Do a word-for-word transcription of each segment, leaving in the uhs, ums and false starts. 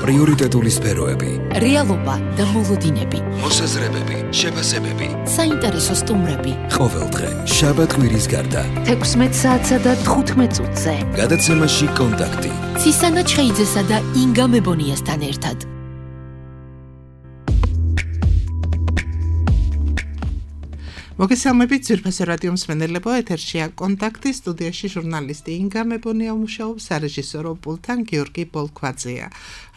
პრიორიტეტული სფეროები, რეალობა და მოლოდინები, მოსაზრებები, შეფასებები, საინტერესო სტუმრები. ყოველდღე შაბათ-კვირის გარდა თექვსმეტ საათსა და თხუთმეტ წუთზე. გადაცემაში კონტაქტი. ცისანა ჩხეიძესა და ინგა მებონიასთან ერთად. მოგესალმებით ძვირფასო რადიო მსმენელებო, ეთერშია კონტაქტი, სტუდიაში ჟურნალისტი ინგა მებონია მუშაობს, სარეჟისორო პულტთან გიორგი ბოლქვაძეა.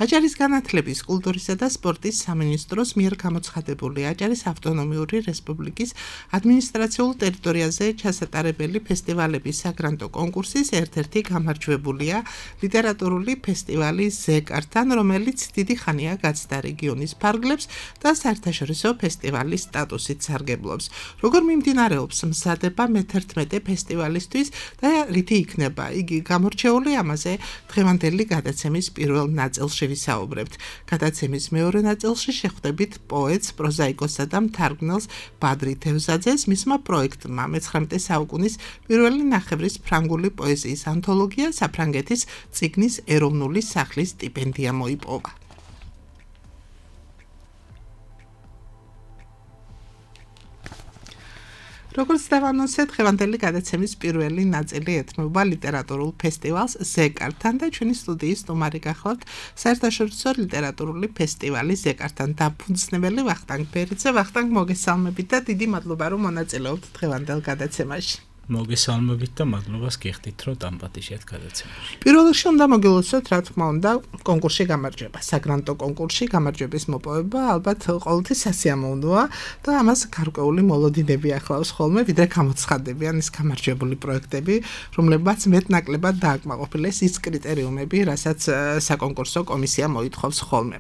აჭარის განათლების, კულტურისა და სპორტის სამინისტროს მიერ გამოცხადებული აჭარის ავტონომიური რესპუბლიკის ადმინისტრაციულ ტერიტორიაზე ჩასატარებელი ფესტივალების საგრანტო კონკურსის ერთ-ერთი გამარჯვებულია ლიტერატურული ფესტივალი ზეკართან, რომელიც დიდი ხანია გაცდა რეგიონის ფარგლებს და საერთაშორისო ფესტივალის სტატუსით სარგებლობს. როგორ მიმდინარეობს მზადება მეთერთმეტე ფესტივალისთვის და რითი იქნება იგი გამორჩეული, ამაზე დღევანდელი გადაცემის პირველ ნაწილში ვისაუბრებთ. გადაცემის მეორე ნაწილში შეხვდებით პოეტს, პროზაიკოსსა და მთარგმნელს ბადრი თევზაძეს, მისმა პროექტმა მეცხრამეტე საუკუნის პირველი ნახევრის ფრანგული პოეზიის ანთოლოგია საფრანგეთის წიგნის ეროვნული სახლის სტიპენდია მოიპოვა. როგორც დავანონსეთ, დღევანდელი გადაცემის პირველი ნაწილი ეთმობა ლიტერატურულ ფესტივალს ზეკართან და ჩვენი სტუდიის სტუმარი გახლავთ საერთაშორისო ლიტერატურული ფესტივალის ზეკართან დაფუძნებელი ვახტანგ ბერიძე. ვახტანგ, მოგესალმებით და დიდი მადლობა, რომ მონაწილეობთ დღევანდელ გადაცემაში. მოგესალმებით და მადლობას გიხდით, რომ დამპატიჟეთ გადაცემაში. პირველ რიგში უნდა მოგილოცოთ, რა თქმა უნდა, კონკურსში გამარჯვება, საგრანტო კონკურსში გამარჯვების მოპოვება ალბათ ყოველთვის სასიამოვნოა და ამას გარკვეული მოლოდინები ახლავს ხოლმე, ვიდრე გამოცხადებიან ის გამარჯვებული პროექტები, რომლებმაც მეტნაკლებად დააკმაყოფილეს ის კრიტერიუმები, რასაც საკონკურსო კომისია მოითხოვს ხოლმე.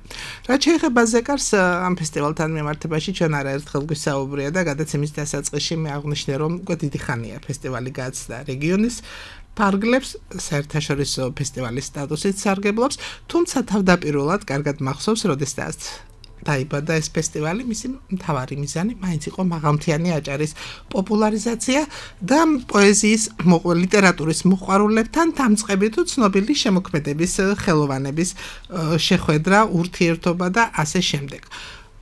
რაც შეეხება ზეკარს, ამ ფესტივალთან მიმართებაში ჩვენ არაერთხელ გვისაუბრია და გადაცემის დასაწყისში მე აღვნიშნე, რომ უკვე დიდი ხანია ფესტივალი გაცდა რეგიონის ფარგლებს, საერთაშორისო ფესტივალის სტატუსით სარგებლობს, თუმცა თავდაპირველად კარგად მახსოვს, როდესაც დაიბადა ეს ფესტივალი, მისი მთავარი მიზანი მაინც იყო მაღალმთიანი აჭარის პოპულარიზაცია და პოეზიის, ლიტერატურის მოყვარულებთან დამწყები თუ ცნობილი შემოქმედების ხელოვანების შეხვედრა, ურთიერთობა და ასე შემდეგ.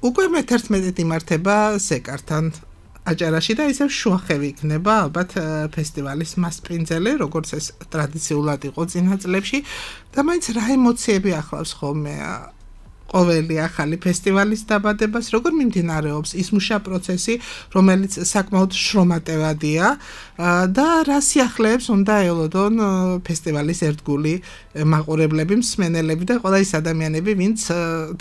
უკვე მეთერთმეტედ იმართება ზეკართან აჭარაში და ისევ შუახევი იქნება ალბათ ფესტივალის მასპინძელი, როგორც ეს ტრადიციულად იყო წინა წლებში და მაინც რა ემოციები ახლავს ხოლმე ყოველი ახალი ფესტივალის დაბადებას, როგორ მიმდინარეობს ის მუშა პროცესი, რომელიც საკმაოდ შრომატევადია და რა სიახლეებს უნდა ელოდონ ფესტივალის ერთგული მაყურებლები, მსმენელები და ყველა ის ადამიანები, ვინც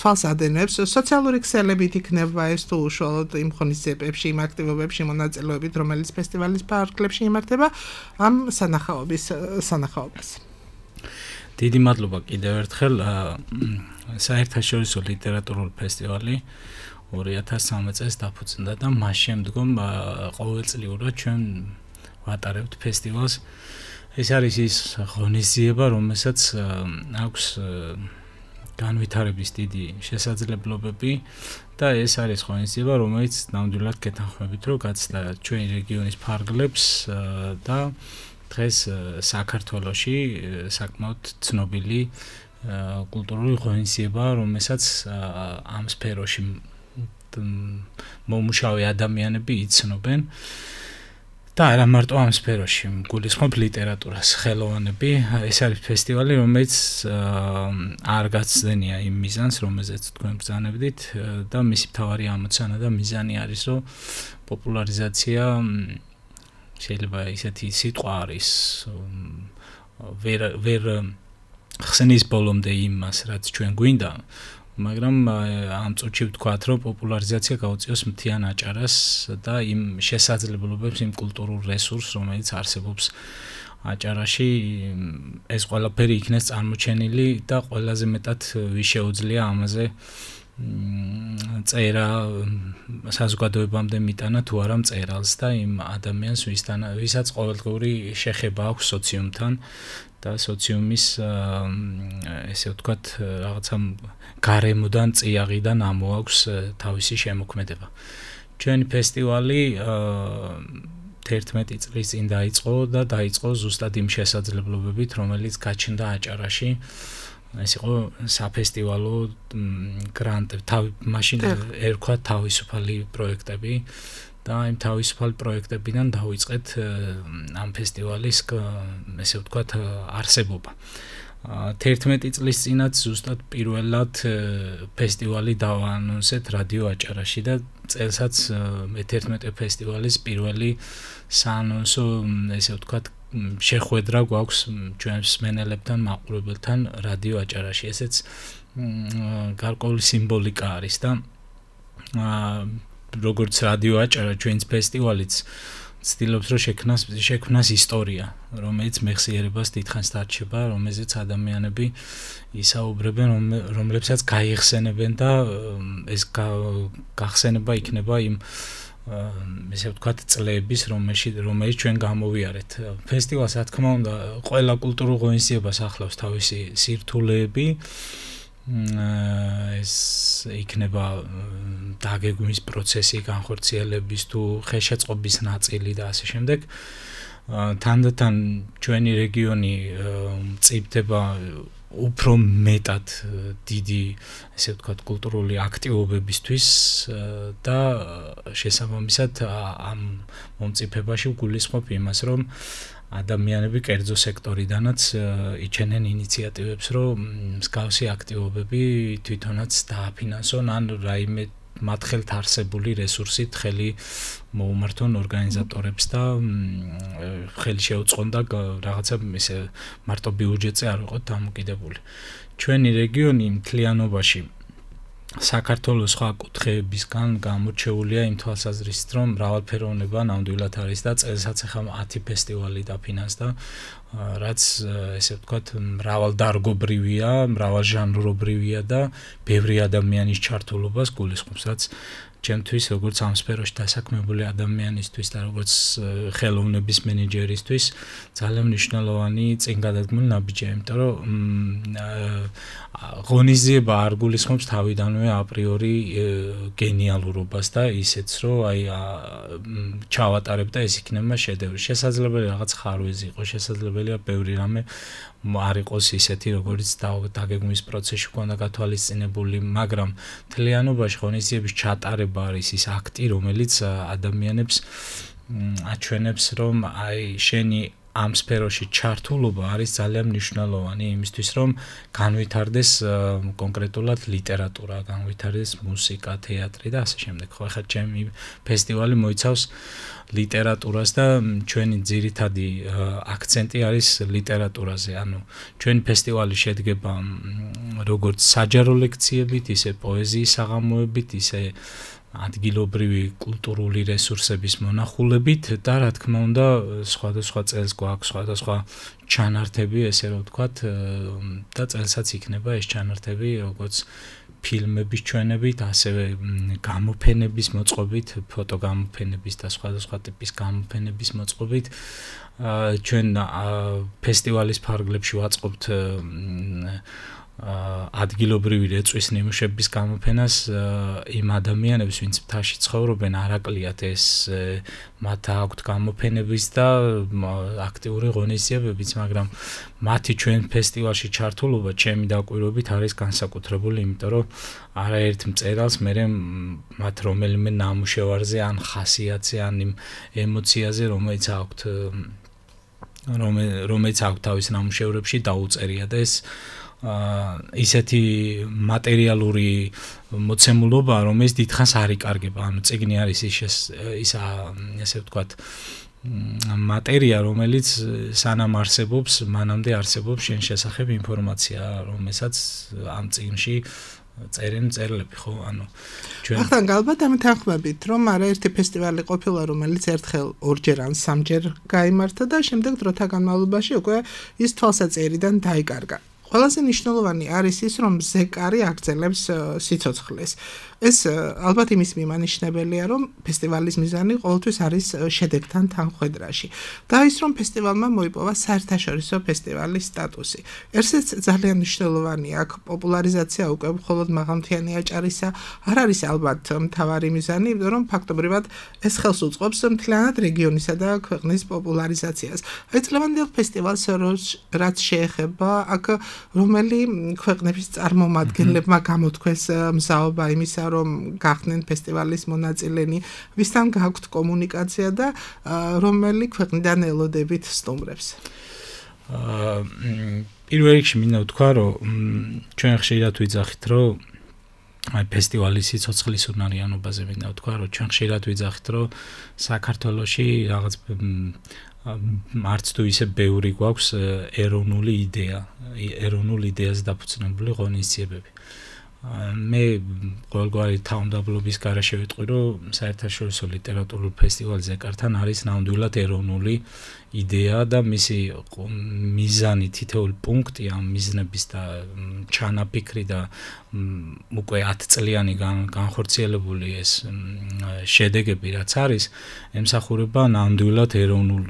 თვალს ადენებს სოციალური ქსელებით იქნება ეს თუ უშუალოდ იმ ღონისძიებებში, იმ აქტივობებში მონაწილეობით, რომელიც ფესტივალის ფარგლებში იმართება, ამ სანახაობის სანახაობას. დიდი მადლობა კიდევ ერთხელ. საერთაშორისო ლიტერატურული ფესტივალი ორი ათას სამი წელს დაფუძნდა და მას შემდგომ ყოველწლიურად ჩვენ ვატარებთ ფესტივალს. ეს არის ის ღონისძიება, რომელსაც აქვს განვითარების დიდი შესაძლებლობები და ეს არის ღონისძიება, რომელიც ნამდვილად გეთანხმებით, რომ გაცდა ჩვენი რეგიონის ფარგლებს და დღეს საქართველოში საკმაოდ ცნობილი კულტურული ღონისძიება, რომელსაც ამ სფეროში მომუშავე ადამიანები იცნობენ და არა მარტო ამ სფეროში, გულისხმობ ლიტერატურას, ხელოვანები. ეს არის ფესტივალი, რომელიც არ გაცდენია იმ მიზანს, რომელზეც თქვენ ბრძანებდით და მისი მთავარი ამოცანა და მიზანი არის, რომ პოპულარიზაცია შეიძლება ისეთი სიტყვა არის ვერ ვერ ხსნის ბოლომდე იმას, რაც ჩვენ გვინდა, მაგრამ ამ წუთში ვთქვათ, რომ პოპულარიზაცია გაუწიოს მთიან აჭარას და იმ შესაძლებლობებს, იმ კულტურულ რესურსს, რომელიც არსებობს აჭარაში, ეს ყველაფერი იქნეს წარმოჩენილი და ყველაზე მეტად ვის შეუძლია ამაზე წერა საზოგადოებამდე მიტანა თუ არა მწერალს და იმ ადამიანს, ვისთან ვისაც ყოველდღიური შეხება აქვს სოციუმთან და სოციუმის ესე ვთქვათ რაღაცა გარემოდან წიაღიდან ამოაქვს თავისი შემოქმედება. ჩვენი ფესტივალი თერთმეტი წლის წინ დაიწყო და დაიწყო ზუსტად იმ შესაძლებლობებით, რომელიც გაჩნდა აჭარაში ეს იყო საფესტივალო გრანტები, თავი მაშინ ერქვა თავისუფალი პროექტები და იმ თავისუფალ პროექტებიდან დავიწყეთ ამ ფესტივალის ესე ვთქვათ არსებობა. თერთმეტი წლის წინათ ზუსტად პირველად ფესტივალი დავაანონსეთ რადიო აჭარაში და წელსაც მეთერთმეტე ფესტივალის პირველი საანონსო ესე ვთქვათ შეხვედრა გვაქვს ჩვენს მსმენელებთან, მაყურებელთან რადიო აჭარაში. ესეც გარკვეული სიმბოლიკა არის და როგორც რადიო აჭარა ჩვენს ფესტივალიც ცდილობს რომ შექმნას შექმნას ისტორია, რომელიც მეხსიერებას დიდხანს დარჩება, რომელზეც ადამიანები ისაუბრებენ, რომლებსაც გაიხსენებენ და ეს გახსენება იქნება იმ ესე ვთქვათ წლების, რომელშიც რომელიც ჩვენ გამოვიარეთ. ფესტივალს რა თქმა უნდა, ყველა კულტურულ ღონისძიებას ახლავს თავისი სირთულეები. ეს იქნება დაგეგმვის პროცესი, განხორციელების თუ ხელშეწყობის ნაწილი და ასე შემდეგ. თანდათან ჩვენი რეგიონი მწიფდება უფრო მეტად დიდი, ესე ვთქვათ, კულტურული აქტივობებისთვის და შესაბამისად ამ მომწიფებაში ვგულისხმობ იმას, რომ ადამიანები კერძო სექტორიდანაც იჩენენ ინიციატივებს, რომ მსგავსი აქტივობები თვითონაც დააფინანსონ ან რაიმე მათ ხელთ არსებული რესურსით ხელი მოუმართონ ორგანიზატორებს და ხელი შეუწყონ და რაღაცა ესე მარტო ბიუჯეტზე არ ვიყოთ დამოკიდებული. ჩვენი რეგიონი მთლიანობაში საქართველოს სხვა კუთხეებისგან გამორჩეულია იმ თვალსაზრისით, რომ მრავალფეროვნება ნამდვილად არის და წელსაც ახლა ათი ფესტივალი დაფინანსდა, რაც ესე ვთქვათ მრავალდარგობრივია, მრავალჟანრობრივია და ბევრი ადამიანის ჩართულობას გულისხმობს, რაც ჩემთვის როგორც ამ სფეროში დასაქმებული ადამიანისთვის და როგორც ხელოვნების მენეჯერისთვის ძალიან მნიშვნელოვანი წინგადადგმული ნაბიჯია, იმიტომ რომ ღონისძიება არ გულისხმობს თავიდანვე აპრიორი გენიალურობას და ისეც რომ აი ჩავატარებ და ეს იქნება შედევრი. შესაძლებელია რაღაც ხარვეზი იყოს, შესაძლებელია ბევრი რამე არ იყოს ისეთი, როგორც დაგეგმვის პროცესში ქონდა გათვალისწინებული, მაგრამ მთლიანობაში ღონისძიების ჩატარება არის ის აქტი, რომელიც ადამიანებს აჩვენებს, რომ აი შენი ამ სფეროში ჩართულობა არის ძალიან მნიშვნელოვანი იმისთვის, რომ განვითარდეს კონკრეტულად ლიტერატურა, განვითარდეს მუსიკა, თეატრი და ასე შემდეგ. ხო, ახლა ჩემი ფესტივალი მოიცავს ლიტერატურას და ჩვენი ძირითადი აქცენტი არის ლიტერატურაზე. ანუ ჩვენი ფესტივალი შედგება როგორც საჯარო ლექციებით, ისე პოეზიის საღამოებით, ისე ადგილობრივი კულტურული რესურსების მონახულებით და რა თქმა უნდა სხვადასხვა წელს გვაქვს სხვადასხვა ჩანართები, ესე რომ ვთქვათ, და წელსაც იქნება ეს ჩანართები როგორც ფილმების ჩვენებით, ასევე გამოფენების მოწყობით, ფოტოგამოფენების და სხვადასხვა ტიპის გამოფენების მოწყობით. ჩვენ ფესტივალის ფარგლებში ვაწყობთ ადგილობრივი რეწვის ნიმუშების გამოფენას იმ ადამიანებს, ვინც მთაში ცხოვრობენ, არ აკლიათ ეს მათ აქვთ გამოფენების და აქტიური ღონისძიებებიც, მაგრამ მათი ჩვენ ფესტივალში ჩართულობა ჩემი დაკვირვებით არის განსაკუთრებული, იმიტომ რომ არაერთ მწერალს მე მათ რომელიმე ნამუშევარზე ან ხასიათზე ან იმ ემოციაზე, რომელიც აქვთ რომელიც აქვთ თავის ნამუშევრებში დაუწერია და ეს ისეთი მატერიალური მოცემულობა, რომელიც დიდხანს არ იკარგება. ანუ წიგნი არის ის ისა ესე ვთქვათ მატერია, რომელიც სანამ არსებობს, მანამდე არსებობს შენ შესახებ ინფორმაცია, რომელსაც ამ წიგნში წერენ მწერლები, ხო? ანუ ჩვენ ახლა ალბათ ამით ახმებით, რომ არაერთი ფესტივალი ყოფილა, რომელიც ერთხელ ორჯერ ან სამჯერ გაიმართა და შემდეგ დროთა განმავლობაში უკვე ის თვალსაწერიდან დაიკარგა. ყველაზე მნიშვნელოვანი არის ის, რომ ზეკარი აგრძელებს სიცოცხლეს. ეს ალბათ იმის მიმანიშნებელია, რომ ფესტივალის მიზანი ყოველთვის არის შედეგთან თანხვედრაში. და ის, რომ ფესტივალმა მოიპოვა საერთაშორისო ფესტივალის სტატუსი. ერთზეც ძალიან მნიშვნელოვანია აქ პოპულარიზაცია უკვე მხოლოდ მაღალმთიანი აჭარისა არ არის ალბათ მთავარი მიზანი, იმიტომ რომ ფაქტობრივად ეს ხელს უწყობს მთლიანად რეგიონისა და ქვეყნის პოპულარიზაციას. აი, წლევანდელ ფესტივალს რაც შეეხება, აქ რომელი ქვეყნების წარმომადგენლებმა გამოთქვეს მზაობა იმისა, რომ გახდნენ ფესტივალის მონაწილენი, ვისთან გაქვთ კომუნიკაცია და რომელი ქვეყნიდან ელოდებით სტუმრებს? აა პირველ რიგში მინდა ვთქვა, რომ ჩვენ ხშირად ვიძახით, რომ აი ფესტივალის სიცოცხლის უნარიანობაზე მინდა ვთქვა, რომ ჩვენ ხშირად ვიძახით, რომ საქართველოში რაღაც არც თუ ისე ბევრი გვაქვს ეროვნული იდეა, ეროვნული იდეაზე დაფუძნებული ღონისძიებები. მე ყოველგვარი თავმდაბლობის გარეშე ვიტყვი, რომ საერთაშორისო ლიტერატურულ ფესტივალ ზეკართან არის ნამდვილად ეროვნული იდეა და მისი მიზანი თითოეულ პუნქტი ამ მიზნების და ჩანაფიქრი და უკვე ათ წლიანი განხორციელებული ეს შედეგები რაც არის, ემსახურება ნამდვილად ეროვნულ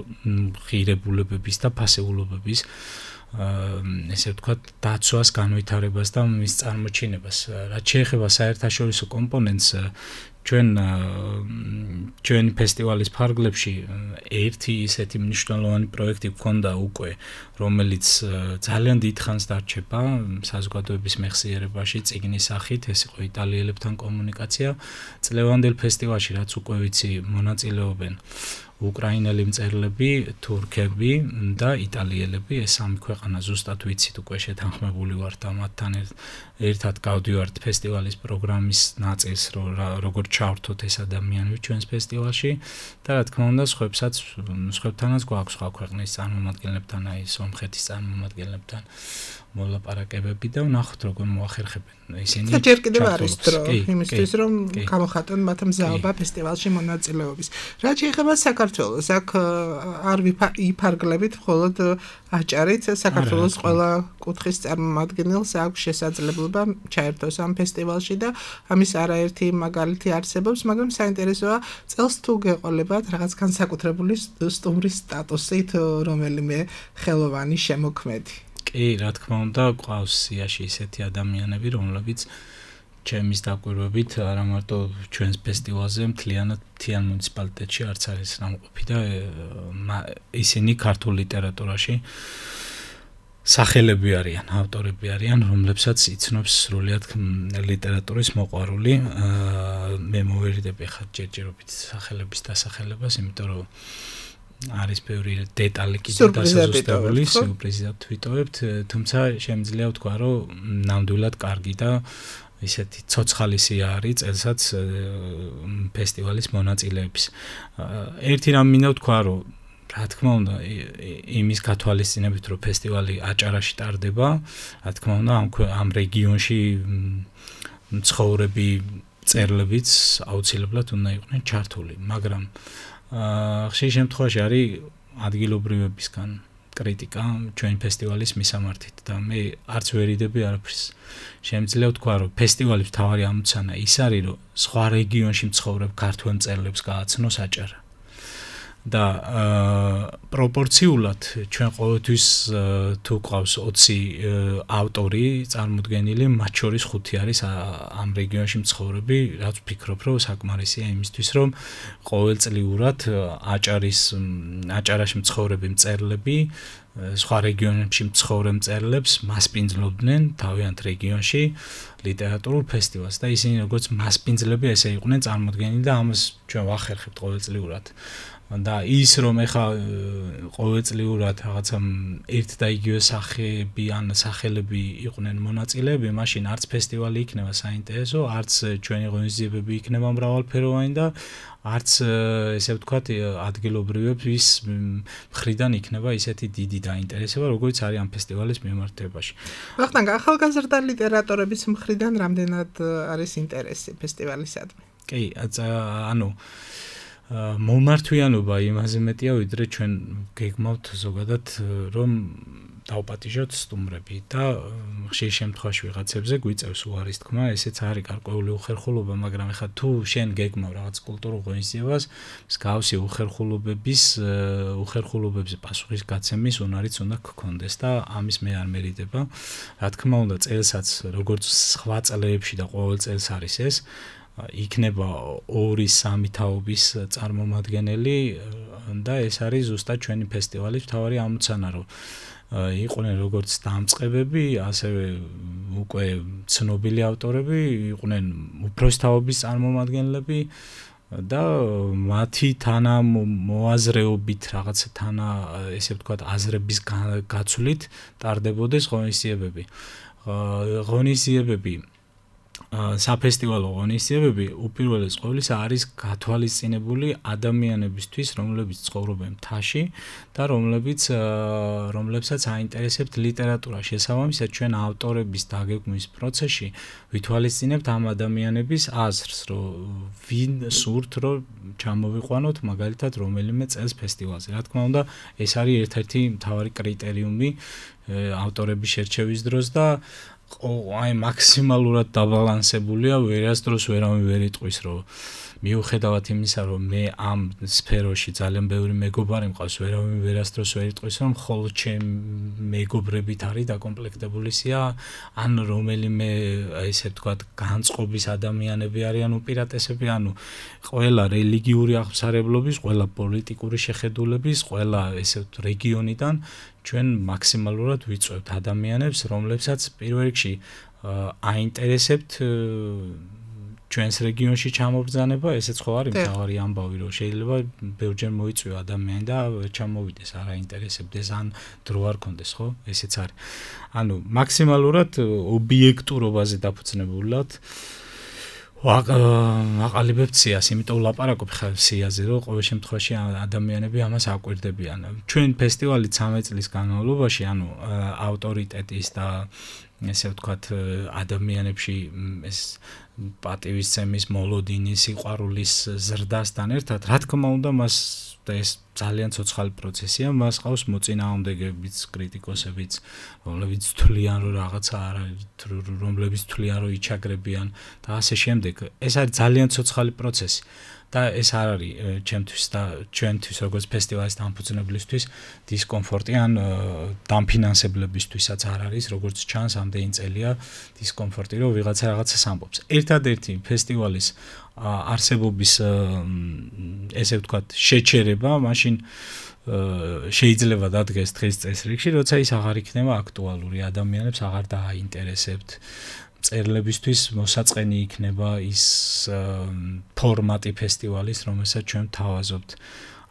ღირებულებების და ფასეულობების ესე ვთქვათ, დაცვას, განვითარებას და მის წარმოჩინებას. რაც შეეხება საერთაშორისო კომპონენტს, ჩვენ ჩვენი ფესტივალის ფარგლებში ერთი ისეთი მნიშვნელოვანი პროექტი გქონდა უკვე, რომელიც ძალიან დიდხანს დარჩება საზოგადოების მეხსიერებაში წიგნის სახით, ეს იყო იტალიელებთან კომუნიკაცია. წლევანდელ ფესტივალში, რაც უკვე ვიცი, მონაწილეობენ უკრაინელი მწერლები, თურქები და იტალიელები, ეს სამი ქვეყანა ზუსტად ვიცით, უკვე შეთანხმებული ვართ და მათთან ერთად გავდივართ ფესტივალის პროგრამის ნაწილს, როგორ ჩავრთოთ ეს ადამიანები ჩვენს ფესტივალში და რა თქმა უნდა, სხვებსაც, სხვებთანაც გვაქვს სხვა ქვეყნის წარმომადგენლებთან, აი სომხეთის წარმომადგენლებთან მოლაპარაკებები და ვნახოთ როგორ მოახერხებენ ისინი. ჯერ კიდევ არის დრო იმისთვის, რომ გამოხატონ მათ მზაობა ფესტივალში მონაწილეობის. რაც შეეხება საქართველოს, აქ არ იფარგლებით მხოლოდ აჭარით, საქართველოს ყველა კუთხის წარმომადგენელს აქვს შესაძლებლობა ჩაერთოს ამ ფესტივალში და ამის არაერთი მაგალითი არსებობს, მაგრამ საინტერესოა წელს თუ გეყოლებათ რაღაც განსაკუთრებული სტუმრის სტატუსით რომელიმე ხელოვანი შემოქმედი. კი, რა თქმა უნდა, ყავს სიაში ისეთი ადამიანები, რომლებიც ჩემის დაკვირვებით არა მარტო ჩვენს ფესტივალზე, მთლიანად მთიან მუნიციპალიტეტში არც არის ნამყოფი და ისინი ქართულ ლიტერატურაში სახელები არიან, ავტორები არიან, რომლებსაც იცნობს სრულიად ლიტერატურის მოყვარული. მე მოვერიდები ხა ჯერჯერობით სახელების დასახელებას, იმიტომ რომ არის ბევრი დეტალი კიდე დასაზუსტებული, სიურპრიზად ვიტოვებთ, თუმცა შემიძლია ვთქვა, რომ ნამდვილად კარგი და ისეთი ცოცხალი სია არის წელსაც ფესტივალის მონაწილეების. ერთი რამ მინდა ვთქვა, რომ რა თქმა უნდა, იმის გათვალისწინებით, რომ ფესტივალი აჭარაში ტარდება, რა თქმა უნდა, ამ ამ რეგიონში მცხოვრები მწერლებიც აუცილებლად უნდა იყვნენ ჩართული, მაგრამ ხშირ შემთხვევაში არის ადგილობრივებისგან კრიტიკა ჩვენი ფესტივალის მისამართით და მე არც ვერიდები არაფერს. შემიძლია ვთქვა, რომ ფესტივალის მთავარი ამოცანა ის არის, რომ სხვა რეგიონში მცხოვრებ ქართველ მწერლებს გააცნოს აჭარა. და პროპორციულად ჩვენ ყოველთვის თუ ყავს ოცი ავტორი წარმოდგენილი, მათ შორის ხუთი არის ამ რეგიონში მცხოვრები, რაც ვფიქრობ, რომ საკმარისია იმისთვის, რომ ყოველწლიურად აჭარის აჭარაში მცხოვრები მწერლები სხვა რეგიონებში მცხოვრებ მწერლებს მასპინძლობდნენ თავიანთ რეგიონში ლიტერატურულ ფესტივალს და ისინი როგორც მასპინძლები ესე იყვნენ წარმოდგენილი და ამას ჩვენ ვახერხებთ ყოველწლიურად. და ის რომ ეხა ყოველწლიურად რაღაცა ერთ და იგივე სახეები ან სახელები იყვნენ მონაწილეები, მაშინ არც ფესტივალი იქნება საინტერესო, არც ჩვენი ღონისძიებები იქნება მრავალფეროვანი და არც ესე ვთქვათ ადგილობრივების მხრიდან იქნება ისეთი დიდი დაინტერესება, როგორც არის ამ ფესტივალის მიმართებაში. ვახტანგ, ახალგაზრდა ლიტერატორების მხრიდან რამდენად არის ინტერესი ფესტივალისადმი? კი, ანუ მომართვიანობა იმაზე მეტია, ვიდრე ჩვენ გეგმავთ ზოგადად რომ დავპატიჟოთ სტუმრები და ხშირ შემთხვევაში ვიღაცებზე გვიწევს უარის თქმა, ესეც არის გარკვეული უხერხულობა, მაგრამ ეხლა თუ შენ გეგმავ რაღაც კულტურულ ღონისძიებას, მსგავსი უხერხულობების უხერხულობებზე პასუხისგაცემის უნარიც უნდა გქონდეს და ამის მე არ მერიდება. რა თქმა უნდა, წელსაც როგორც სხვა წლებში და ყოველ წელს არის ეს იქნება ორი სამი თაობის წარმომადგენელი და ეს არის ზუსტად ჩვენი ფესტივალის მთავარი ამოცანა, რომ იყვნენ როგორც დამწყებები, ასევე უკვე ცნობილი ავტორები, იყვნენ უფროსთაობის წარმომადგენლები და მათი თანამოაზრეობით რაღაცა თანა ესე ვთქვათ აზრების გაცვლით ტარდებოდეს ღონისძიებები. ღონისძიებები საფესტივალო ღონისძიებები უპირველეს ყოვლისა არის გათვალისწინებული ადამიანებისთვის, რომლებიც ცხოვრობენ მთაში და რომლებიც რომლებსაც აინტერესებთ ლიტერატურა. შესაბამისად, ჩვენ ავტორების დაგეგმვის პროცესში ვითვალისწინებთ ამ ადამიანების აზრს, რომ ვინ სურთ, რომ ჩამოვიყვანოთ მაგალითად რომელიმე წელს ფესტივალზე. რა თქმა უნდა, ეს არის ერთ-ერთი მთავარი კრიტერიუმი ავტორების შერჩევის დროს და აი მაქსიმალურად დაბალანსებულია, ვერასდროს ვერავინ ვერ იტყვის, რომ მიუხედავად იმისა, რომ მე ამ სფეროში ძალიან ბევრი მეგობარი მყავს, ვერავინ ვერასდროს ვერ იტყვის, რომ მხოლოდ ჩემი მეგობრებით არის დაკომპლექტებული სია, ან რომელიმე ესე ვთქვათ განწყობის ადამიანები არიან უპირატესები, ანუ ყველა რელიგიური აღმსარებლობის, ყველა პოლიტიკური შეხედულების, ყველა ესე ვთქვათ რეგიონიდან ჩვენ მაქსიმალურად ვიწვევთ ადამიანებს, რომლებსაც პირველ რიგში აინტერესებთ ჩვენს რეგიონში ჩამობრძანება, ესეც ხო არის მთავარი ამბავი, რომ შეიძლება ბევრჯერ მოიწვიო ადამიანი და ჩამოვიდეს, არ აინტერესებდეს, ან დრო არ კონდეს, ხო? ესეც არის. ანუ მაქსიმალურად ობიექტურობაზე დაფუძნებულად ვაყალიბებთ სიას, იმიტომ ვლაპარაკობ ხა სიაზე, რომ ყოველ შემთხვევაში ადამიანები ამას აკვირდებიან. ჩვენ ფესტივალი ცამეტ წლის განმავლობაში, ანუ ავტორიტეტის და ესე ვთქვათ ადამიანებში ეს პატივისცემის, მოლოდინის, სიყვარულის ზრდასთან ერთად, რა თქმა უნდა, მას და ეს ძალიან ცოცხალი პროცესია, მას ყავს მოწინააღმდეგეებიც, კრიტიკოსებიც, რომლებიც თვლიან, რომ რაღაცა არ არის, რომლებიც თვლიან, რომ იჩაგრებიან და ასე შემდეგ. ეს არის ძალიან ცოცხალი პროცესი. და ეს არ არის ჩემთვის და ჩვენთვის როგორც ფესტივალის დამფუძნებლისთვის დისკომფორტი ან დამფინანსებლებისთვისაც არ არის, როგორც ჩანს ამდენი წელია დისკომფორტი, რომ ვიღაცა რაღაცას ამბობს. ერთადერთი ფესტივალის არსებობის ესე ვთქვათ შეჩერება, მაშინ შეიძლება დადგეს დღის წესრიგში, როცა ის აღარ იქნება აქტუალური, ადამიანებს აღარ დააინტერესებთ. წერლებისთვის მოსაწყენი იქნება ის ფორმატი ფესტივალის, რომელსაც ჩვენ ვთავაზობთ.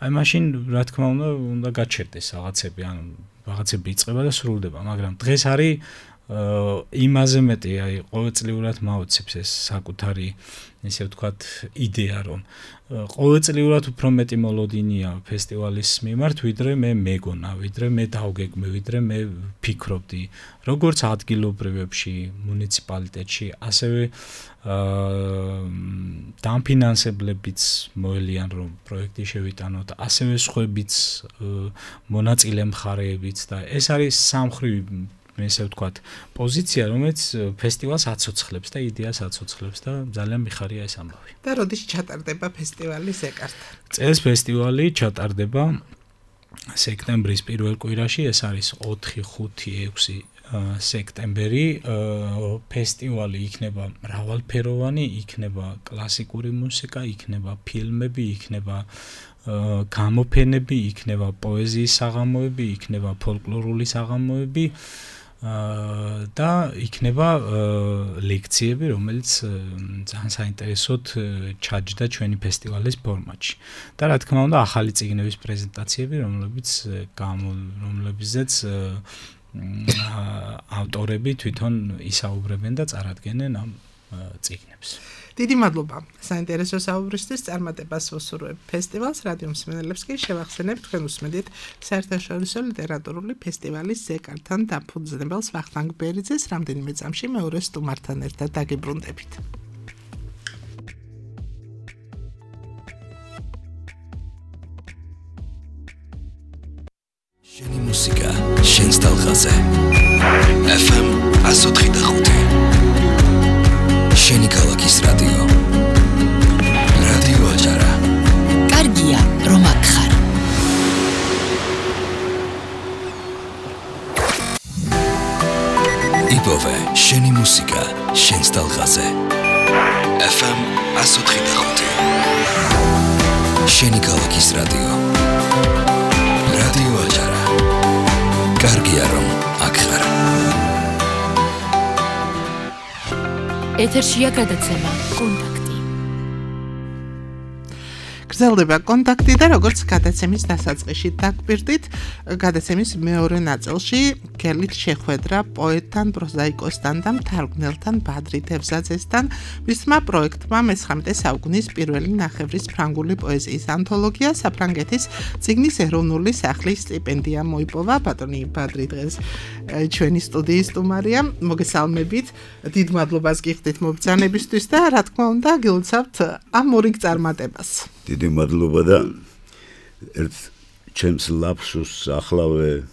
აი მაშინ რა თქმა უნდა, უნდა გაჩერდეს რაღაცები, ანუ რაღაცები იწყება და სრულდება, მაგრამ დღეს არის იმაზე მეტი, აი ყოველწლიურად მაოცებს ეს საკუთარი, ესე ვთქვათ, იდეა, რომ ყოველწლიურად უფრო მეტი მოლოდინია ფესტივალის მიმართ, ვიდრე მე მეგონა, ვიდრე მე დავგეგმე, ვიდრე მე ფიქრობდი, როგორც ადგილობრივებში, მუნიციპალიტეტში, ასევე დამფინანსებლებიც მოელიან, რომ პროექტი შევიტანოთ, ასევე სხვებიც მონაწილე მხარეებიც და ეს არის სამხრივი ესე ვთქვათ, პოზიცია, რომელიც ფესტივალს აცოცხლებს და იდეას აცოცხლებს და ძალიან მიხარია ეს ამბავი. და როდის ჩატარდება ფესტივალი ზეკარტა? წელს ფესტივალი ჩატარდება სექტემბრის პირველ კვირაში, ეს არის ოთხი, ხუთი, ექვსი სექტემბერი. ფესტივალი იქნება მრავალფეროვანი, იქნება კლასიკური მუსიკა, იქნება ფილმები, იქნება გამოფენები, იქნება პოეზიის საღამოები, იქნება ფოლკლორული საღამოები. და იქნება ლექციები, რომელიც ძალიან საინტერესოდ ჩაჯდა ჩვენი ფესტივალის ფორმატში. და რა თქმა უნდა, ახალი წიგნების პრეზენტაციები, რომლებიც რომლებზეც ავტორები თვითონ ისაუბრებენ და წარადგენენ ამ წიგნებს. დიდი მადლობა საინტერესო საუბრისთვის, წარმატებას ვუსურვებ ფესტივალს, რადიო მსმენელებს კი შევახსენებ, თქვენ უსმენთ საერთაშორისო ლიტერატურული ფესტივალის ზეკართან დაფუძნებელს ვახტანგ ბერიძეს, რამდენიმე წამში მეორე სტუმართან ერთად დაგიბრუნდებით. შენი მუსიკა, შენს ტალღაზე. ეფ ემ one oh three point five. შენი ქალაქის რადიო. რადიო აჭარა. კარგია, რომ აქ ხარ. იპოვე შენი მუსიკა, შენს ტალღაზე. ეფ ემ one oh three point five. შენი ქალაქის რადიო. რადიო აჭარა. კარგია რომ აქ ხარ. ეთერშია გადაცემა კონტაქტი. გრძელდება კონტაქტი და როგორც გადაცემის დასაწყისში დაგპირდით, გადაცემის მეორე ნაწილში გელით შეხვედრა პოეტთან, პროზაიკოსთან და მთარგმნელთან ბადრი თევზაძესთან, მისმა პროექტმა მეცხრამეტე საუკუნის პირველი ნახევრის ფრანგული პოეზიის ანთოლოგია საფრანგეთის წიგნის ეროვნული სახლის სტიპენდია მოიპოვა. ბატონი ბადრი დღეს ჩვენი სტუდიის სტუმარია. მოგესალმებით, დიდ მადლობას გიხდით მობრძანებისთვის და რა თქმა უნდა გილოცავთ ამ მორიგ წარმატებას. დიდი მადლობა და ერთ ჩემს ლაფსუსს ახლავე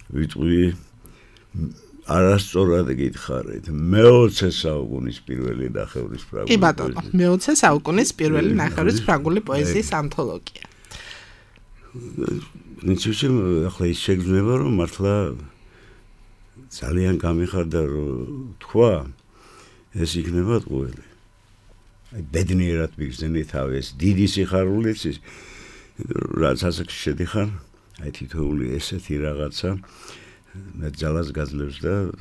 ვიტყვი, არასწორად გითხარით, მეოცე საუკუნის პირველი ნახევრის ფრანგული პოეზია. კი ბატონო, მეოცე საუკუნის პირველი ნახევრის ფრანგული პოეზიის ანთოლოგია. ნიჩუჩი ახლა ის შეგრძნება, რომ მართლა ძალიან გამიხარდა რომ თქვა, ეს იქნება ყველი. აი ბედნიერად მიგზნით თავი ეს დიდი სიხარულიც ის რაც ასაკში შედიხარ, აი თითოეული ესეთი რაღაცა მე ძალას გაძლევს და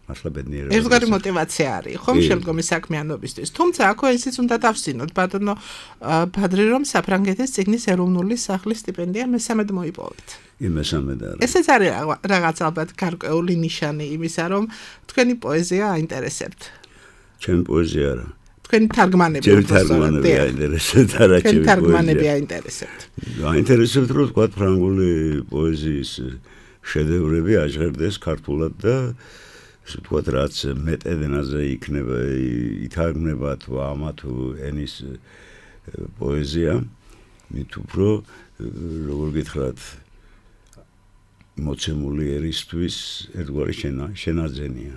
მართლა ბედნიერად. ერთგვარი мотиваცია არის, ხომ შემდგომი საქმიანობისთვის. თუმცა აქ ისიც უნდა დავსინოთ, ბატონო ბადრი, რომ საფრანგეთის წიგნის ეროვნული სახლის სტიპენდია მესამედ მოიპოვეთ. იმესამედ არის. ესეც არის რაღაც ალბათ გარკვეული ნიშანი იმისა, რომ თქვენი პოეზია აინტერესებთ. ჩემი პოეზია არა. თქვენი თარგმანები ჩემი თარგმანები აინტერესებთ, არა ჩემი პოეზია. თარგმანები აინტერესებთ. აინტერესებთ, რომ თქვა ფრანგული პოეზიის შედევრები აჟღერდეს ქართულად და ესე ვთქვათ, რაც მეტად ენაზე იქნება, ითარგმნება თუ ამა თუ ენის პოეზია, მით უფრო როგორ გითხრათ, მოცემული ერისთვის ერთგვარი შენაძენია.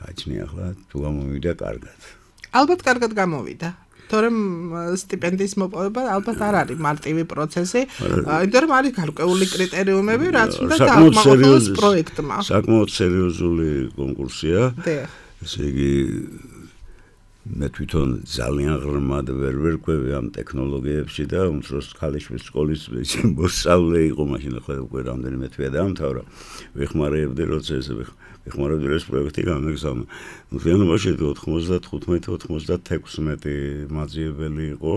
გაჩნია ახლა თუ გამოვიდა კარგად. ალბათ კარგად გამოვიდა. თორემ სტიპენდიის მოპოვება ალბათ არ არის მარტივი პროცესი, იმიტომ რომ არის გარკვეული კრიტერიუმები, რაც უნდა დაამახვილოს პროექტმა. საკმაოდ სერიოზული კონკურსია. ესე იგი მე თვითონ ძალიან ღრმად ვერ ვერკვევი ამ ტექნოლოგიებში და უმცროს ქალიშვილის სკოლის მოსწავლე იყო მაშინ, ახლა უკვე რამდენიმე თვეა დაამთავრა. ვიხმარებდი როცა ესე ვიხმარებდი ეს პროექტი გამეგზავნა. მთლიანობაში ოთხმოცდათხუთმეტი ოცდათექვსმეტი მაძიებელი იყო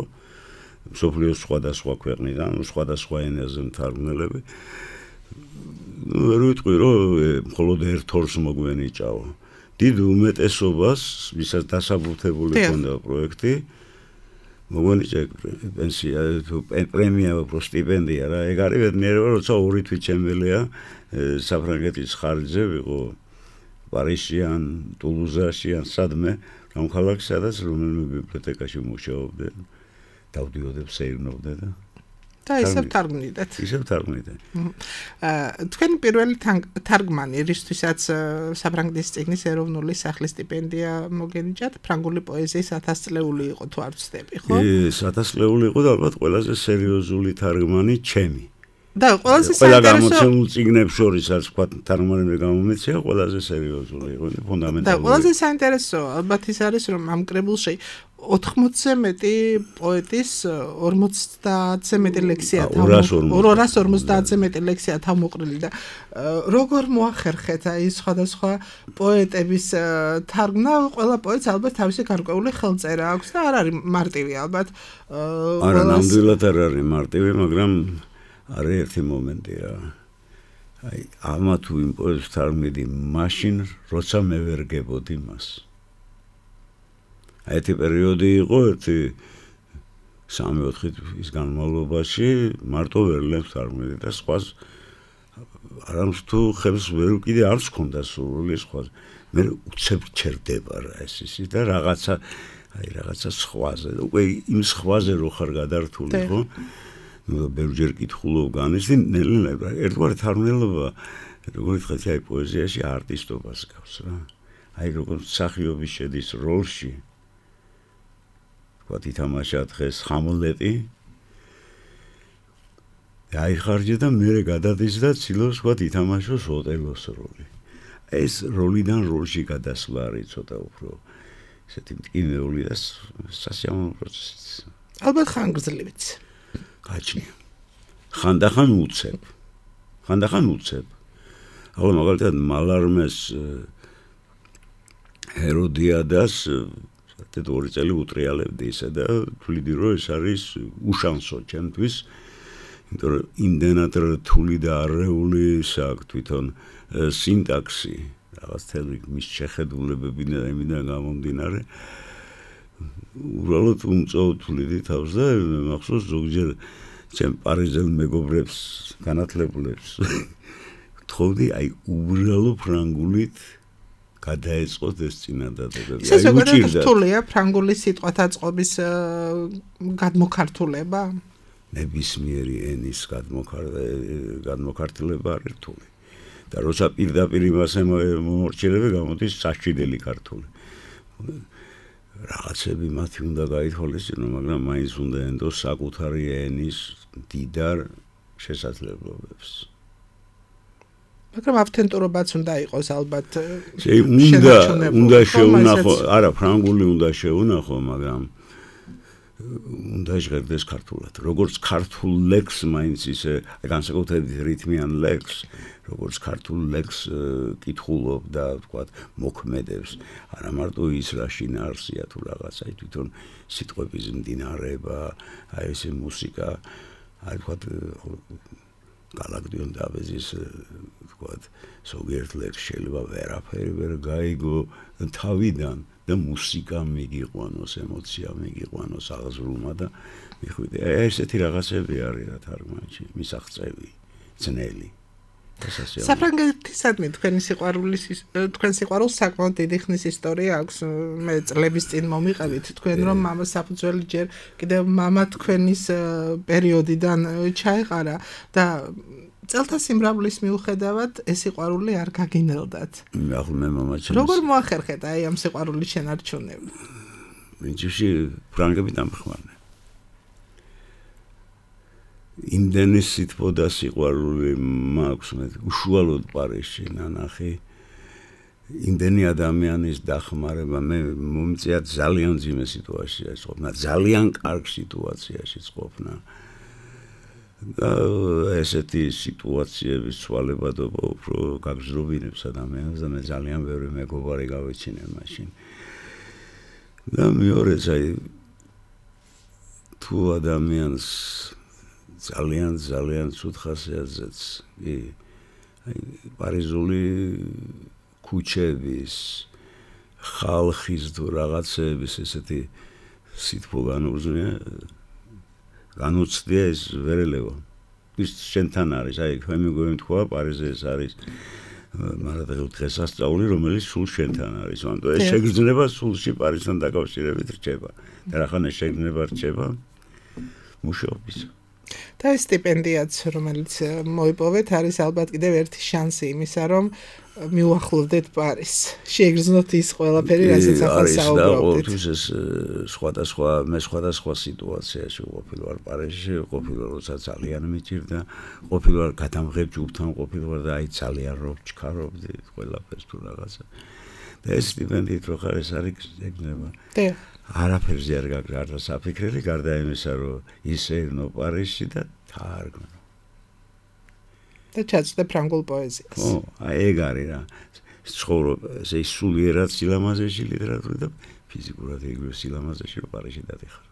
მსოფლიოს სხვადასხვა ქვეყნიდან, სხვადასხვა ენაზე მთარგმნელები. ვერ ვიტყვი რომ მხოლოდ ერთ ორს მოგვენიჭაო. დიდ უმეტესობას, ვისაც დასაბუთებული ჰქონდა პროექტი, მოგვენიჭა პენსია, პრემია, უფრო სტიპენდია რა. ეგ არის ბედნიერება, როცა ორი თვით შემველია საფრანგეთის ხარჯზე ვიყო პარიზში ან ტულუზაში ან სადმე, რამ ქალაქში, სადაც რომელიმე ბიბლიოთეკაში მუშაობდე, დავდიოდებ, სეირნობდე და და ისევ თარგმნიდეთ. ისევ თარგმნიდე. თქვენი პირველი თარგმანი, რისთვისაც საფრანგეთის წიგნის ეროვნული სახლის სტიპენდია მოგენიჭათ, ფრანგული პოეზიის ათასწლეული იყო თუ არ ვცდები, ხო? ის ათასწლეული იყო და ალბათ ყველაზე სერიოზული თარგმანი ჩემი. და ყველაზე საინტერესო ყველა გამოცემულ წიგნებს შორის არის თქვა თარგმანები გამომეცია, ყველაზე სერიოზული იყო და ფუნდამენტალური. და ყველაზე საინტერესო ალბათ ის არის, რომ ამ კრებულში ოთხმოცზე მეტი პოეტის ორმოცდაათზე მეტი ლექსია ორას ორმოცდაათზე მეტი ლექსია თავმოყრილი და როგორ მოახერხეთ აი სხვადასხვა პოეტების თარგმნა, ყველა პოეტს ალბათ თავისი გარკვეული ხელწერა აქვს და არ არის მარტივი ალბათ. არა, ნამდვილად არ არის მარტივი, მაგრამ არის ერთი მომენტი რა. აი ამა თუ იმ პოეტს თარგმნიდი მაშინ, როცა მე ვერ გებოდი მას. ერთი პერიოდი იყო, ერთი სამი-ოთხი თვის განმავლობაში მარტო ვერლებს თარგმნიდი და სხვას არამს თუ ხელს ვერ კიდე არც ქონდა სურვილი სხვას. მე უცებ ჩერდება რა ეს ისი და რაღაცა აი რაღაცა სხვაზე. უკვე იმ სხვაზე რო ხარ გადართული, ხო? ნუ ბევრჯერ კითხულობ განიცდი ნელ-ნელა ერთგვარი თარგმნელობა, როგორ ვთქვათ, აი პოეზიაში არტისტობას გავს რა. აი როგორ მსახიობი შედის როლში. ვთქვათ, ითამაშა დღეს ჰამლეტი. აიხარჯა და მერე გადადის და ცდილობს ვთქვათ, ითამაშოს ოტელოს როლი. ეს როლიდან როლში გადასვლა არის ცოტა უფრო ესეთი მტკივნეული და სასიამოვნო პროცესი. ალბათ ხანგრძლივიც. გაჩნია. ხანდახან უცებ. ხანდახან უცებ. ახლა მაგალითად მალარმეს ჰეროდიადას საერთოდ ორი წელი უტრიალებდი ისე და თვლიდი რომ ეს არის უშანსო ჩემთვის, იმიტომ რომ იმდენად რთული და არეული საქმე თვითონ სინტაქსი, რაღაც თელი მის შეხედულებები და იმიდან გამომდინარე უბრალოდ უმწოვთვლიდი თავს და მახსოვს ზოგჯერ ჩემ პარიზელ მეგობრებს განათლებულებს თხოვდი აი უბრალო ფრანგულით გადაეწყოთ ეს წინადადებები. აი უჭირდა. რთულია ფრანგული სიტყვათა წყობის გადმოქართულება? ნებისმიერი ენის გადმოქართულება არ რთული. და როცა პირდაპირ იმას მომორჩილები გამოდის საშიდელი ქართული. რაღაცები მათი უნდა გაითვალისწინო, მაგრამ მაინც უნდა ენდოს საკუთარი ენის დიდარ შესაძლებლობებს. მაგრამ ავთენტურობაც უნდა იყოს ალბათ. უნდა უნდა შეუნახო, არა, ფრანგული უნდა შეუნახო, მაგრამ უნდა ჟღერდეს ქართულად. როგორც ქართულ ლექს მაინც ისე განსაკუთრებით რითმიან ლექს, როგორც ქართულ ლექს კითხულობ და თქვა მოქმედებს, არა მარტო ის რა შინაარსია თუ რაღაცა, თვითონ სიტყვების მდინარეება, აი ესე მუსიკა, აი თქვა გალაგდიონ დაბეზის თქვა ზოგიერთ ლექს შეიძლება ვერაფერი ვერ გაიგო თავიდან და მუსიკა მიგიყვანოს, ემოცია მიგიყვანოს აღზრუნვა და მიხვიდე. ესეთი რაღაცები არის რა თარგმანში, მისაღწევი, ძნელი. საფრანგეთისადმი თქვენი სიყვარულის თქვენ სიყვარულს საკმაოდ დიდი ხნის ისტორია აქვს. მე წლების წინ მომიყევით თქვენ რომ მამა საფუძველი ჯერ კიდევ მამა თქვენის პერიოდიდან ჩაეყარა და წელთა სიმრავლის მიუხედავად ეს სიყვარული არ გაგინელდათ. ახლა მე მამა ჩემს როგორ მოახერხეთ აი ამ სიყვარულის შენარჩუნება? პრინციპში ფრანგები დამხმარდნენ. იმდენი სიტყვა და სიყვარული მაქვს მე უშუალოდ პარიზში ნანახი. იმდენი ადამიანის დახმარება მე მომწია ძალიან ძიმე სიტუაციაში ყოფნა, ძალიან კარგ სიტუაციაში ყოფნა. და ესეთი სიტუაციების ცვალებადობა უფრო გაგზრობინებს ადამიანს და მე ძალიან ბევრი მეგობარი გავეჩინე მაშინ. და მეორეც აი თუ ადამიანს ძალიან ძალიან ცუდ ხასიათზეც კი აი პარიზული ქუჩების ხალხის თუ რაღაცების ესეთი სიტყვა განუზრია განუცდია ეს ვერელევა. ის შენთან არის, აი თქვენ მიგოემთქვა პარიზზე ეს არის მაგრამ დღესასწაული რომელიც სულ შენთან არის. ანუ ეს შეგრძნება სულში პარიზთან დაკავშირებით რჩება. და რახან ეს შეგრძნება რჩება მუშაობის. და ეს სტიპენდიაც რომელიც მოიპოვეთ არის ალბათ კიდევ ერთი შანსი იმისა რომ მიუახლოვდეთ პარიზს. შეეგრძნოთ ის ყველაფერი რასაც ახლა საუბრობთ. არის ეს სხვადასხვა მე სხვადასხვა სიტუაციაში ყოფილი ვარ პარიზში, ყოფილი ვარ როცა ძალიან მიჭირდა, ყოფილი ვარ გადამღებ ჯუბთან ყოფილი ვარ და აი ძალიან რო ჩქარობდი ყველაფერს თუ რაღაცა. და ეს სტიპენდიით რო ხარ ეს არის ეგნება. და არაფერზე არ გაგზავნა საფიქრელი გარდა იმისა რომ ისეირნო პარიზში და თარგმნო. და ჩაწვდე ფრანგულ პოეზიას. ო, აი ეგ არის რა. ცხოვრობ ესე სულიერად სილამაზეში ლიტერატურით და ფიზიკურად იგივე სილამაზეში რომ პარიზში დადიხარ.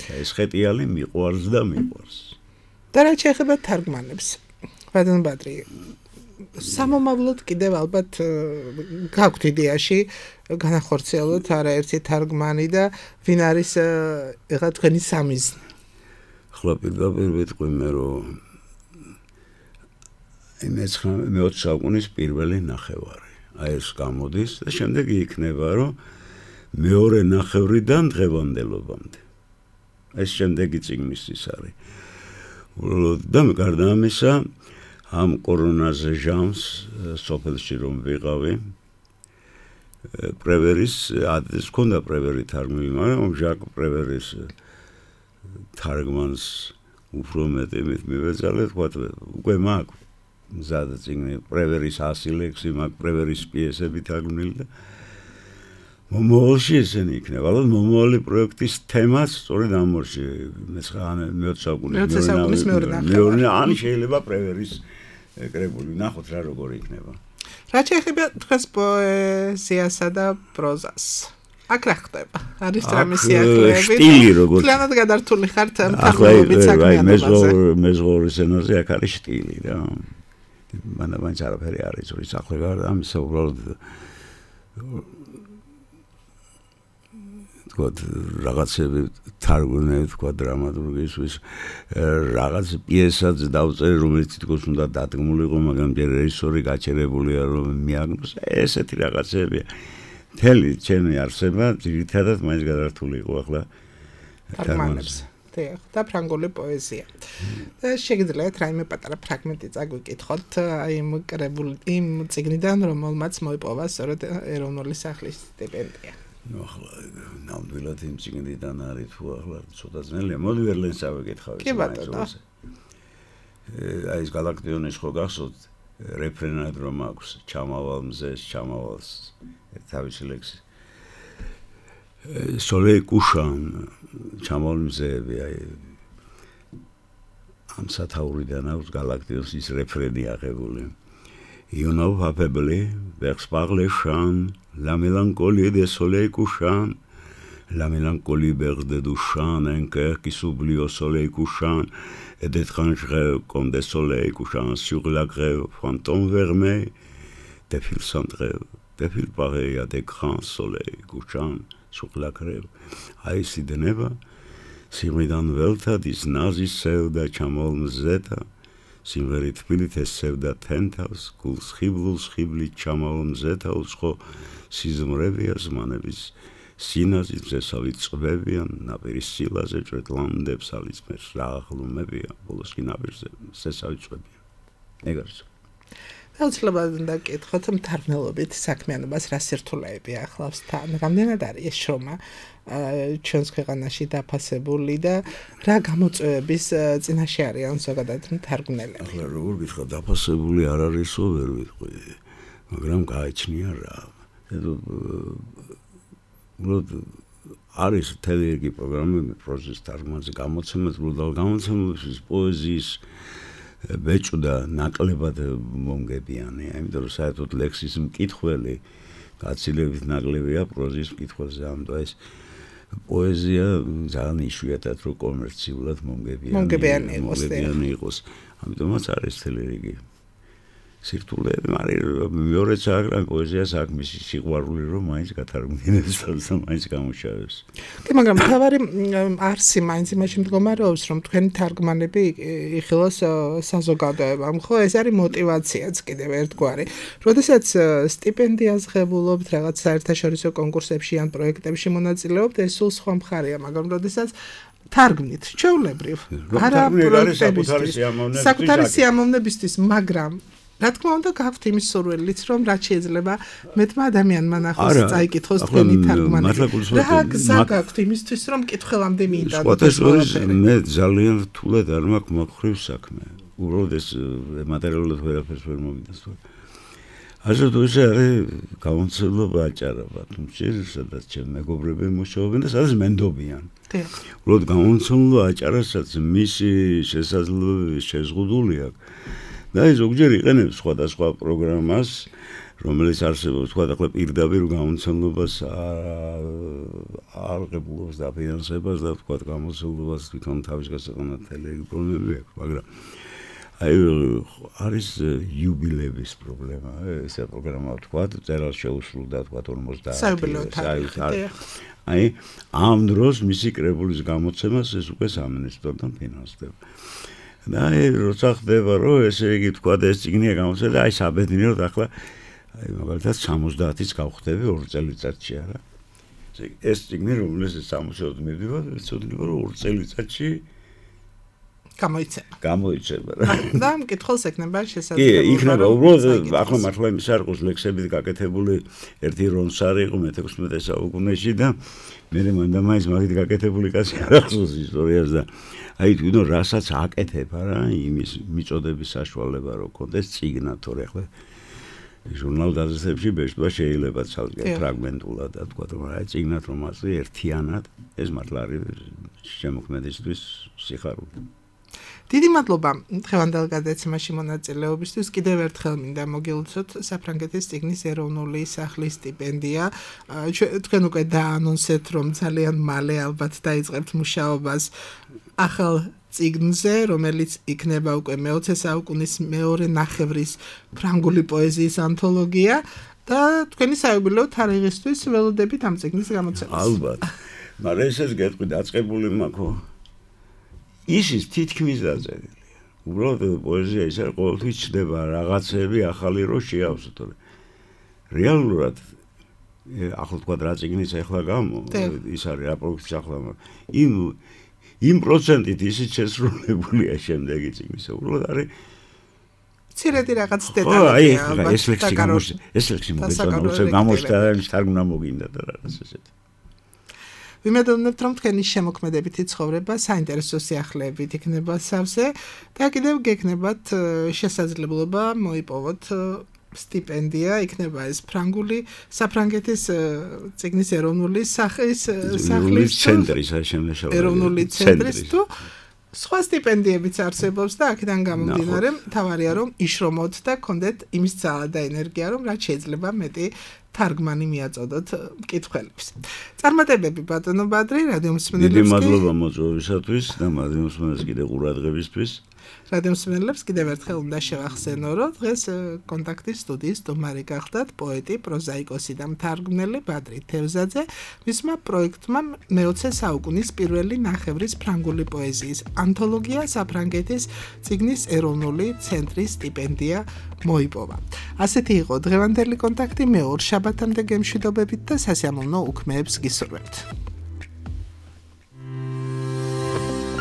და ეს ხეტიალი მიყვარს და მიყვარს. და რა შეეხება თარგმანებს? ბადენ ბადრი სამომავლოდ კიდევ ალბათ გაქვთ იდეაში განახორციელოთ არაერთი თარგმანი და ვინ არის ეხლა თქვენი სამიზნე? ახლა პირდაპირ ვიტყვი მე რომ მეოცე საუკუნის პირველი ნახევარი. აი ეს გამოდის და შემდეგ იქნება რომ მეორე ნახევრიდან დღევანდელობამდე. ეს შემდეგი წიგნისთვის არის. და გარდა ამისა ამ კორონაზე ჟამს სოფელში რომ ვიყავი პრევერის ადრეს ქონდა პრევერი თარგმნილი, მაგრამ ჟაკ პრევერის თარგმანს უფრო მეტი მივეძალე, თქვა უკვე მაქვს მზად წიგნი პრევერის ასი ლექსი, მაქვს პრევერის პიესები თარგმნილი და მომავალში ესენი იქნება. ალბათ მომავალი პროექტის თემაც სწორედ ამ ორში მეოცე საუკუნის მეორე ან შეიძლება პრევერის კრებული ნახოთ რა როგორი იქნება. რა შეიძლება თქვენს პოეზიასა და პროზას? აქ რა ხდება? არის რამე სიახლეები? სტილი როგორ? კლანად გადართული ხართ მთარგმნელობით საქმიანობაზე. მეზღვაურის ენაზე აქ არის სტილი რა. მანდა მაინც არაფერი არის ზური საქმე გარდა ამისა უბრალოდ თქვა რაღაცები თარგმნები თქვა დრამატურგისთვის რაღაც პიესაც დავწერე რომელიც თვითონ უნდა დადგმულიყო მაგრამ რეჟისორი გაჩერებულია რომ მიაგნოს ესეთი რაღაცებია მთელი ჩემი არსება ძირითადად მაინც გადართული იყო ახლა თარგმანებს და ფრანგული პოეზია და შეგიძლიათ რაიმე პატარა ფრაგმენტი წაგვიკითხოთ აი იმ კრებული იმ წიგნიდან რომელმაც მოიპოვა სწორედ ეროვნული სახლის სტიპენდია ну ახლა ნამდვილად იმ წიგნიდან არის თუ ახლა ცოტა ძნელია მოდი ვერლენს ავეკითხავ კი ბატონო აი ეს გალაქტიონის ხო გახსოვთ რეფრენად რომ აქვს ჩამავალ მზეს ჩამავალს თავისი ლექსი სოლეი კუშან ჩამავალ მზეები აი ამ სათაურიდან აქვს გალაქტიონის ის რეფრენი აღებული You know probably vers par les champs la mélancolie des soleils couchants la mélancolie verte du champ un cœur qui s'oublie au soleil couchant et d'étranges rêves comme des soleils couchants sur la grève fantômes vermeils des fils sans trêve des fils pareils à des grands soleils couchants sur la grève Aïsi de neva Simidan velta dis nazis sevda chamol mzeta Სიმღერი თბილით ესევდა თენთავს, გულს ხიბლულს ხიბლით ჩამავალ მზეთავს, ხო სიზმრებია ზმანების სინაზის მზესავით წვევიან, ნაპირის სილაზე ჭრეტლანდებს ალისმერს რა აღლუმებია, ბოლოს კი ნაპირზე მზესავით წვევიან. ეგ არის. აუცილებლად უნდა გკითხოთ მთარგმნელობით საქმიანობას რა სირთულეები ახლავს თან, რამდენად არის ეს შრომა ჩვენს ქვეყანაში დაფასებული და რა გამოწვევების წინაშე არიან ზოგადად მთარგმნელები. ახლა როგორ გითხრა დაფასებული არ არისო ვერ ვიტყვი, მაგრამ გააჩნია რა. უბრალოდ არის მთელი რიგი პროგრამები პროზის თარგმანზე გამოცემად, უბრალოდ გამოცემების პოეზიის ბეჭდა ნაკლებად მომგებიანი, იმიტომ რომ საერთოდ ლექსის მკითხველი გაცილებით ნაკლებია პროზის მკითხველზე, ამიტომ ეს პოეზია ძალიან იშვიათად რო კომერციულად მომგებიანი მომგებიანი იყოს. ამიტომაც არის მთელი რიგი სირთულეები, მაგრამ მეორე საქმე პოეზიას აქ მისი სიყვარული რომ მაინც გათარგმნებს და მაინც გამუშავებს. კი, მაგრამ თავარი არსი მაინც იმაში მდგომარეობს, რომ თქვენი თარგმანები იხილოს საზოგადოებამ, ხო, ეს არის мотиваციაც კიდევ ერთგვარი. როდესაც სტიპენდიას ღებულობთ რაღაც საერთაშორისო კონკურსებში ან პროექტებში მონაწილეობთ, ეს სულ სხვა მხარეა, მაგრამ როდესაც თარგმნით, ჩვეულებრივ, არა პროექტებისთვის, საკუთარი სიამოვნებისთვის, მაგრამ რა თქმა უნდა გაქვთ იმის სურვილიც რომ რაც შეიძლება მეტმა ადამიანმა ნახოს წაიკითხოს თქვენი თარგმანები რა გზა გაქვთ იმისთვის რომ კითხველამდე მიიტანოთ მე ძალიან რთულად არ მაქვს მოხრივ საქმე უბრალოდ ეს მატერიალურად ვერაფერს ვერ მომიდასტო ასე თუ ისე არის გამოცდილება აჭარაბა თუმცა სადაც ჩემ მეგობრები მუშაობენ და სადაც მენდობიან უბრალოდ გამოცდილება აჭარასაც მისი შესაძლებლობები შეზღუდული აქვს და ის ზოგჯერ იყენებს სხვადასხვა პროგრამას, რომელიც არსებობს, თქვა ახლა პირდაპირ გამოცემლობას არ ღებულობს დაფინანსებას და თქვა გამოცემლობას თვითონ თავის გასაყენად ტელეგრამები აქვს, მაგრამ აი არის იუბილეების პრობლემა, ესა პროგრამა თქვა, წერალ შეუსრულდა თქვა ორმოცდაათი საერთოდ აი ამ დროს მისი კრებულის გამოცემას ეს უკვე სამინისტროდან ფინანსდება. და როცა ხდება რომ ესე იგი თქვა და ეს წიგნია გამოცემა და აი საბედნიეროდ ახლა აი მაგალითად სამოცდაათიც გავხდები ორ წელიწადში არა ეს წიგნი რომელსაც სამოცდაათი მივდივარ ეცოდება რომ ორ წელიწადში გამოიცემა გამოიცემა და მკითხველს ეკნება შესაძლებლობა კი იქნება უბრალოდ ახლა მართლა იმის არ ყოს ლექსებით გაკეთებული ერთი რონსარი იყო მეთექვსმეტე საუკუნეში და მე მანდა მაინც მაგით გაკეთებული კაცი არ ახსოვს ისტორიას და აი თვითონ რასაც აკეთებ არა იმის მიწოდების საშუალება რო კონდეს წიგნა თორე ახლა ჟურნალ გაზეთებში ბეჭდვა შეიძლება ცალკე ფრაგმენტულად და თქვა რომ აი წიგნად რომ ასე ერთიანად ეს მართლა არის შემოქმედისთვის სიხარული დიდი მადლობა დღევანდელ გადაცემაში მონაწილეობისთვის. კიდევ ერთხელ მინდა მოგილოცოთ საფრანგეთის წიგნის ეროვნული სახლის სტიპენდია. თქვენ უკვე დაანონსეთ, რომ ძალიან მალე ალბათ დაიწყებთ მუშაობას ახალ წიგნზე, რომელიც იქნება უკვე მეოცე საუკუნის მეორე ნახევრის ფრანგული პოეზიის ანთოლოგია და თქვენი საიუბილეო თარიღისთვის ველოდებით ამ წიგნის გამოცემას. ალბათ. მაგრამ ესეც გეტყვი დაწყებული მაქვს. ისიც თითქმის დაწერილია. უბრალოდ პოეზია ის არის ყოველთვის ჩდება რაღაცები ახალი რო შეავსო, თორე რეალურად ახლა თქვა რა წიგნის ახლა გამო ის არის რა პროექტი ახლა იმ იმ პროცენტით ისიც შესრულებულია შემდეგი წიგნისა. უბრალოდ არის ცირედი რაღაც დეტალები. აი ეს ლექსი გამოსცა ეს ლექსი მოგეწონა გამოსცა ის თარგმნა მოგინდა და რაღაც ესეთი. ვიმედოვნებთ, რომ თქვენი შემოქმედებითი ცხოვრება საინტერესო სიახლეებით იქნება სავსე და კიდევ გექნებათ შესაძლებლობა მოიპოვოთ სტიპენდია, იქნება ეს ფრანგული საფრანგეთის წიგნის ეროვნული სახლის სახლის ცენტრის შემნაშავე ეროვნული ცენტრის თუ სხვა სტიპენდიებიც არსებობს და აქედან გამომდინარე მთავარია რომ იშრომოთ და გქონდეთ იმის ძალა და ენერგია რომ რაც შეიძლება მეტი თარგმანი მიაწოდოთ მკითხველებს. წარმატებები ბატონო ბადრი, რადიო მსმენელებს. დიდი მადლობა მოწვევისათვის და რადიო მსმენელებს კიდევ ყურადღებისთვის. რადიო მსმენელებს კიდევ ერთხელ უნდა შევახსენო, რომ დღეს კონტაქტის სტუდიის სტუმარი გახდათ პოეტი, პროზაიკოსი და მთარგმნელი ბადრი თევზაძე. მისმა პროექტმა მეოცე საუკუნის პირველი ნახევრის ფრანგული პოეზიის ანთოლოგია საფრანგეთის წიგნის ეროვნული ცენტრის სტიპენდია მოიპოვა. ასეთი იყო დღევანდელი კონტაქტი. მე ორ შაბათამდე გემშვიდობებით და სასიამოვნო უქმეებს გისურვებთ.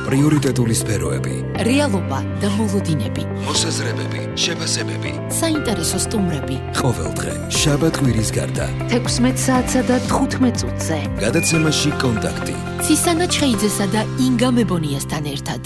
პრიორიტეტული სფეროები, რეალობა და მოლოდინები, მოსაზრებები, შეფასებები, საინტერესო სტუმრები. ყოველდღე შაბათ-კვირის გარდა თექვსმეტ საათსა და თხუთმეტ წუთზე გადაცემაში კონტაქტი. ცისანა ჩხეიძესა და ინგა მებონიასთან ერთად.